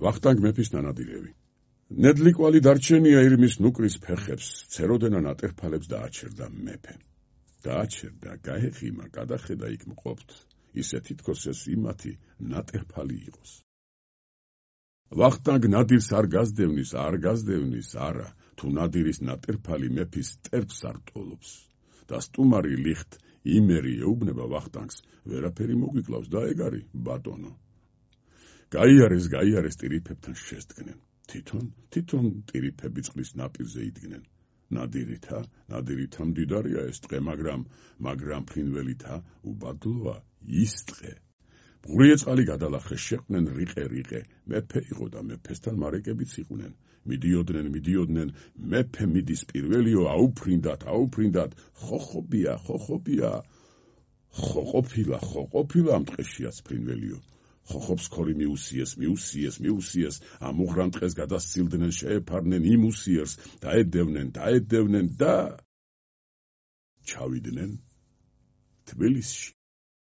ვახტანგ მეფის ნანადირევი. ნედლიკვალი დარჩენია ირმის ნუკრის ფეხებს, ცეროდენა ნატერფალებს დააჩერდა მეფე. დააჩერდა, გაეხიმა, გადახედა იქ მყოფთ, ისე თითქოს ეს იმათი ნატერფალი იყოს. ვახტანგ ნადირს არ გაზდევნის, არა, თუ ნადირის ნატერფალი მეფის ტერფს არ ტოლობს. და სტუმარი ლიხთ იმერი ეუბნება ვახტანგს, ვერაფერი მოგვიკლავს და ეგარი, ბატონო. გაიარეს ტირიფებთან შესდგნენ. თვითონ ტირიფები წყლის ნაპირზე იდგნენ. ნადირითა მდიდარია ეს ტყე, მაგრამ ფრინველითა უბადლოა ის ტყე. მღვრიე წყალი გადალახეს, შეყვნენ რიყე, მეფე იყო და მეფესთან მარეკებიც იყვნენ. მიდიოდნენ, მეფე მიდის პირველიო, აუფრინდათ, ხოხობია, ხოყოფილა ამ ტყეშიაც ფრინველიო. ხოხობს ქორი მიუსიეს, ამ უღრან ტყეს გადასცილდნენ, შეეფარნენ იმ უსიერს, დაედევნენ და ჩავიდნენ თბილისში.